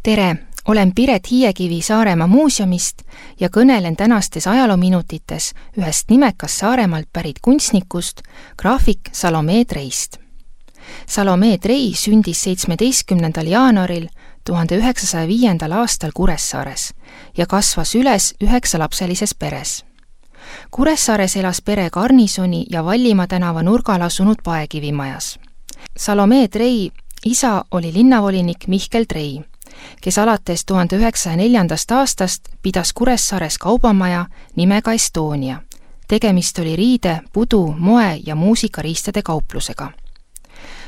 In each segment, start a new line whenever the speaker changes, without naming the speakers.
Tere, olen Piret Hiiekivi Saaremaa muuseumist ja kõnelen tänastes ajaloominutites ühest nimekast Saaremaalt pärit kunstnikust, graafik Salomee Treist. Salomee Trei sündis 17. jaanuaril 1905. aastal Kuressaares ja kasvas üles 9-lapselises peres. Kuressaares elas pere Garnisoni ja Vallimaa tänava nurgal asunud Paekivimajas. Salomee Trei isa oli linnavolinik Mihkel Trei, kes alates 1904. aastast pidas Kuressaares kaubamaja nimega Estonia. Tegemist oli riide, pudu, moe ja muusikariistade kauplusega.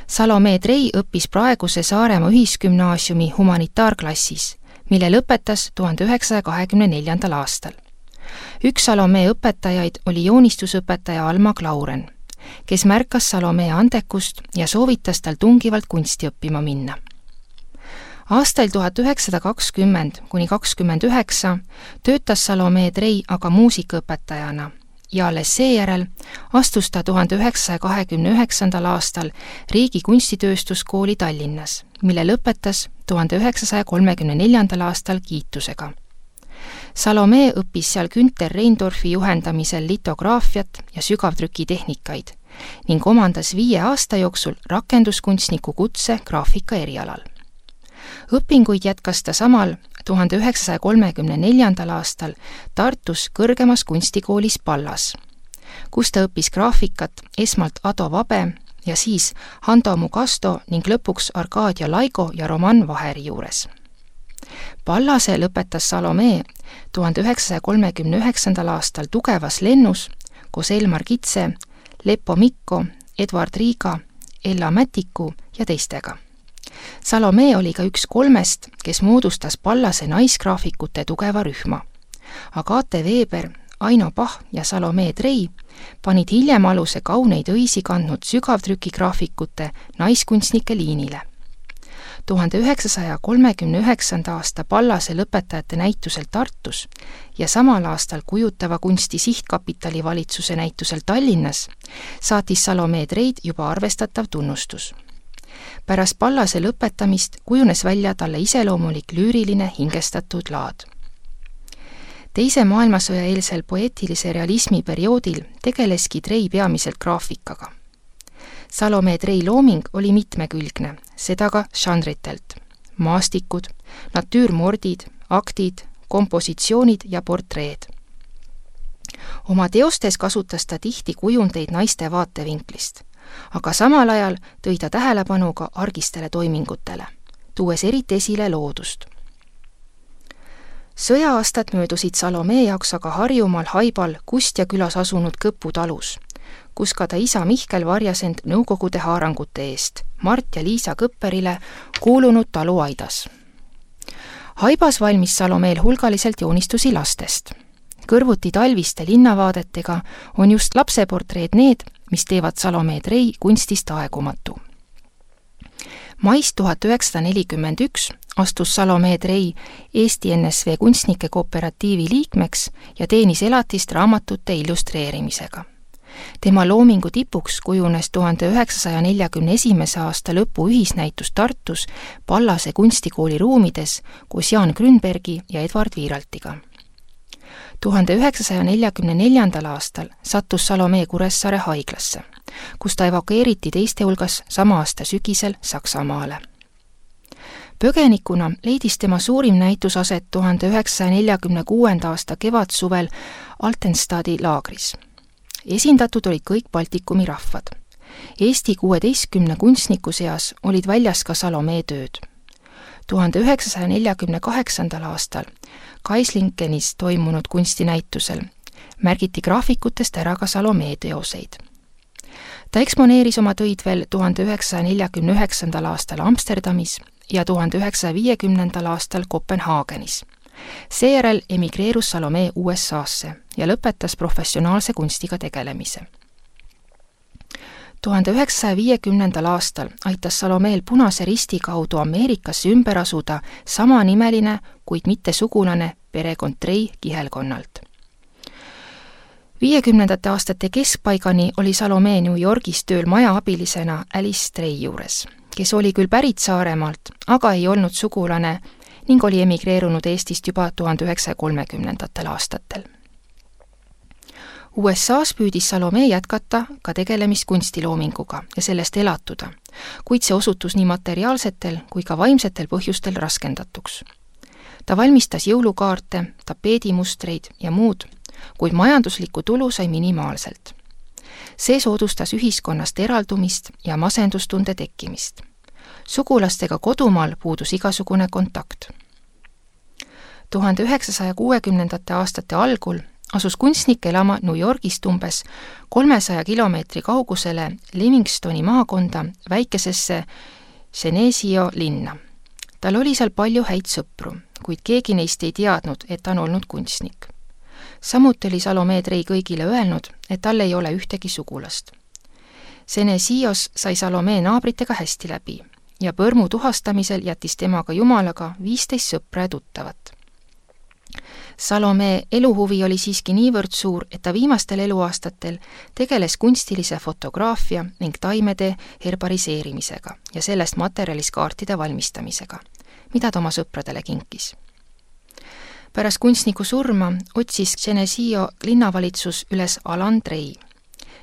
Salomee Trei õppis praeguse Saaremaa ühisgümnaasiumi humanitaarklassis, mille lõpetas 1924. aastal. Üks Salomee õpetajaid oli joonistusõpetaja Alma Klauren, kes märkas Salomee andekust ja soovitas tal tungivalt kunsti õppima minna. Aastail 1920–29 töötas Salomee Trei aga muusikaõpetajana ja alles seejärel astus ta 1929. aastal Riigi kunstitööstuskooli Tallinnas, mille lõpetas 1934. aastal kiitusega. Salomee õppis seal Günter Reindorfi juhendamisel litograafiat ja sügavtrükitehnikaid ning omandas 5 aasta jooksul rakenduskunstniku kutse graafika erialal. Õpinguid jätkas ta samal 1934. aastal Tartus kõrgemas kunstikoolis Pallas, kus ta õppis graafikat esmalt Ado Vabe ja siis Hando Mugasto ning lõpuks Arkadia Laigo ja Roman Vaheri juures. Pallase lõpetas Salomee 1939. aastal Tugevas lennus koos Elmar Kitse, Leppo Mikko, Edward Riiga, Ella Mätiku ja teistega. Salomee oli ka üks 3, kes moodustas Pallase naisgraafikute tugeva rühma. Agate Weber, Aino Pah ja Salomee Trei panid hiljem aluse kauneid õisi kandnud sügavtrükigraafikute naiskunstnike liinile. 1939. aasta Pallase lõpetajate näitusel Tartus ja samal aastal kujutava kunsti sihtkapitali valitsuse näitusel Tallinnas saatis Salomee Treid juba arvestatav tunnustus. Pärast Pallase lõpetamist kujunes välja talle iseloomulik lüüriline hingestatud laad. Teise maailmasõja eelsel poeetilise realismi perioodil tegeleski Trei peamiselt graafikaga. Salomee Trei looming oli mitmekülgne, seda ka žanritelt: maastikud, natüürmordid, aktid, kompositsioonid ja portreed. Oma teostes kasutas ta tihti kujundeid naiste vaatevinklist, aga samal ajal tõi ta tähelepanu ka argistele toimingutele, tuues eriti esile loodust. Sõja-aastad möödusid Salomee jaoks aga Harjumaal Haibal Kustja külas asunud Kõpu talus, kus ka ta isa Mihkel varjas end nõukogude haarangute eest Mart ja Liisa Kõpperile kuulunud taluaidas. Haibas valmis Salomeel hulgaliselt joonistusi lastest. Kõrvuti talviste linnavaadetega on just lapseportreed need, mis teevad Salomee Trei kunstist aegumatu. Mais 1941 astus Salomee Trei Eesti NSV kunstnike kooperatiivi liikmeks ja teenis elatist raamatute illustreerimisega. Tema loomingu tipuks kujunes 1941. aasta lõpu ühisnäitus Tartus Pallase kunstikooli ruumides koos Jaan Grünbergi ja Edward Viiraltiga. 1944. aastal sattus Salomee Kuressaare haiglasse, kus ta evakueeriti teiste hulgas sama aasta sügisel Saksamaale. Põgenikuna leidis tema suurim näitus aset 1946. aasta kevadsuvel Altenstadi laagris. Esindatud olid kõik Baltikumi rahvad. Eesti 16 kunstniku seas olid väljas ka Salomee tööd. 1948. aastal Kaislingenis toimunud kunstinäitusel märgiti graafikutest ära ka Salomee teoseid. Ta eksponeeris oma töid veel 1949. aastal Amsterdamis ja 1950. aastal Kopenhaagenis. Seejärel emigreerus Salomee USA-sse ja lõpetas professionaalse kunstiga tegelemise. 1950. aastal aitas Salomeel Punase Risti kaudu Ameerikasse ümber asuda samanimeline, kuid mitte sugulane perekond Trei kihelkonnalt. 50. aastate keskpaigani oli Salomee New Yorgis tööl majaabilisena Alice Trei juures, kes oli küll pärit Saaremaalt, aga ei olnud sugulane ning oli emigreerunud Eestist juba 1930. aastatel. USA-s püüdis Salome jätkata ka tegelemist kunstiloominguga ja sellest elatuda, kuid see osutus nii materiaalsetel kui ka vaimsetel põhjustel raskendatuks. Ta valmistas jõulukaarte, tapeedimustreid ja muud, kuid majanduslikku tulu sai minimaalselt. See soodustas ühiskonnast eraldumist ja masendustunde tekkimist. Sugulastega kodumaal puudus igasugune kontakt. 1960. aastate algul asus kunstnik elama New Yorgist umbes 300 kilomeetri kaugusele Livingstoni maakonda väikesesse Geneseo linna. Tal oli seal palju häid sõpru, kuid keegi neist ei teadnud, et ta on olnud kunstnik. Samuti oli Salome Trei kõigile öelnud, et tal ei ole ühtegi sugulast. Geneseos sai Salome naabritega hästi läbi ja põrmu tuhastamisel jättis temaga jumalaga 15 sõpra ja tuttavat. Salome eluhuvi oli siiski niivõrd suur, et ta viimastel eluaastatel tegeles kunstilise fotograafia ning taimede herbariseerimisega ja sellest materjalist kaartide valmistamisega, mida ta oma sõpradele kinkis. Pärast kunstniku surma otsis Geneseo linnavalitsus üles Alan Trei,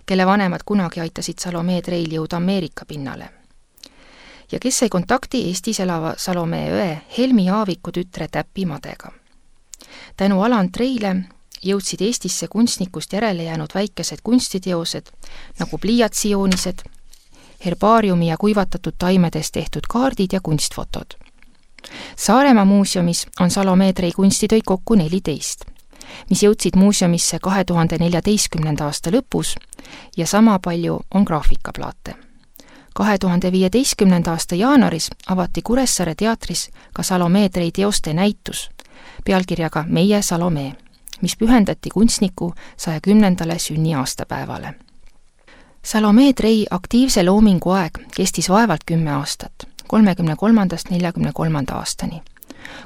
kelle vanemad kunagi aitasid Salome Treil jõuda Ameerika pinnale ja kes sai kontakti Eestis elava Salome õe Helmi Aaviku tütre Täpi Madega. Tänu Alan Treile jõudsid Eestisse kunstnikust järele jäänud väikesed kunstiteosed nagu pliiatsijoonised, herbaariumi ja kuivatatud taimedest tehtud kaardid ja kunstfotod. Saaremaa muuseumis on Salome Trei kunstitöid kokku 14, mis jõudsid muuseumisse 2014. aasta lõpus ja sama palju on graafikaplaate. 2015. aasta jaanuaris avati Kuressaare teatris ka Salome Trei teoste näitus pealkirjaga Meie Salome, mis pühendati kunstniku 110. sünniaastapäevale. Salome Trei aktiivse loomingu aeg kestis vaevalt 10 aastat, 33.–43. aastani,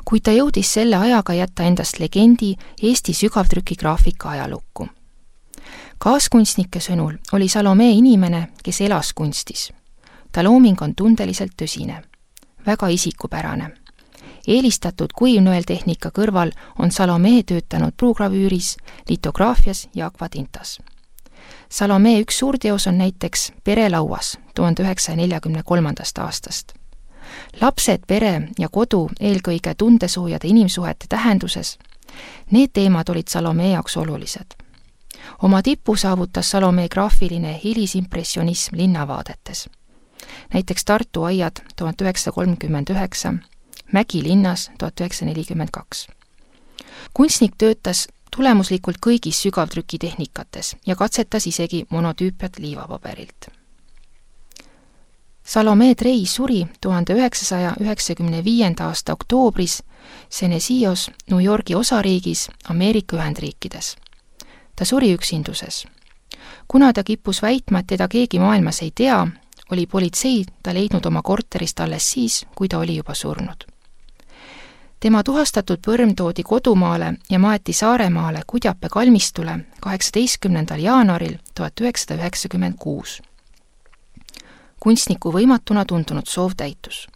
kuid ta jõudis selle ajaga jätta endast legendi Eesti sügavtrükigraafika ajalukku. Kaaskunstnike sõnul oli Salome inimene, kes elas kunstis. Ta looming on tundeliselt tõsine, väga isikupärane. Eelistatud kuivnõeltehnika kõrval on Salome töötanud pruugravüüris, litograafias ja akvatintas. Salome üks suurteos on näiteks Perelauas 1943. aastast. Lapsed, pere ja kodu eelkõige tundesoojade inimsuhete tähenduses, need teemad olid Salome jaoks olulised. Oma tipu saavutas Salome graafiline hilisimpressionism linnavaadetes. Näiteks Tartu aiad 1939, Mägi linnas 1942. Kunstnik töötas tulemuslikult kõigis sügavtrükitehnikates ja katsetas isegi monotüüpiat liivapaberilt. Salome Trei suri 1995. aasta oktoobris Geneseos, New Yorgi osariigis, Ameerika Ühendriikides. Ta suri üksinduses. Kuna ta kippus väitma, et teda keegi maailmas ei tea, oli politsei ta leidnud oma korterist alles siis, kui ta oli juba surnud. Tema tuhastatud põrm toodi kodumaale ja maeti Saaremaale Kudjape kalmistule 18. jaanuaril 1996. Kunstniku võimatuna tundunud soov täitus.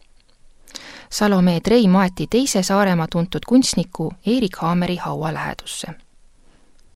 Salome Trei maeti teise Saaremaa tuntud kunstniku Erik Haameri haua lähedusse.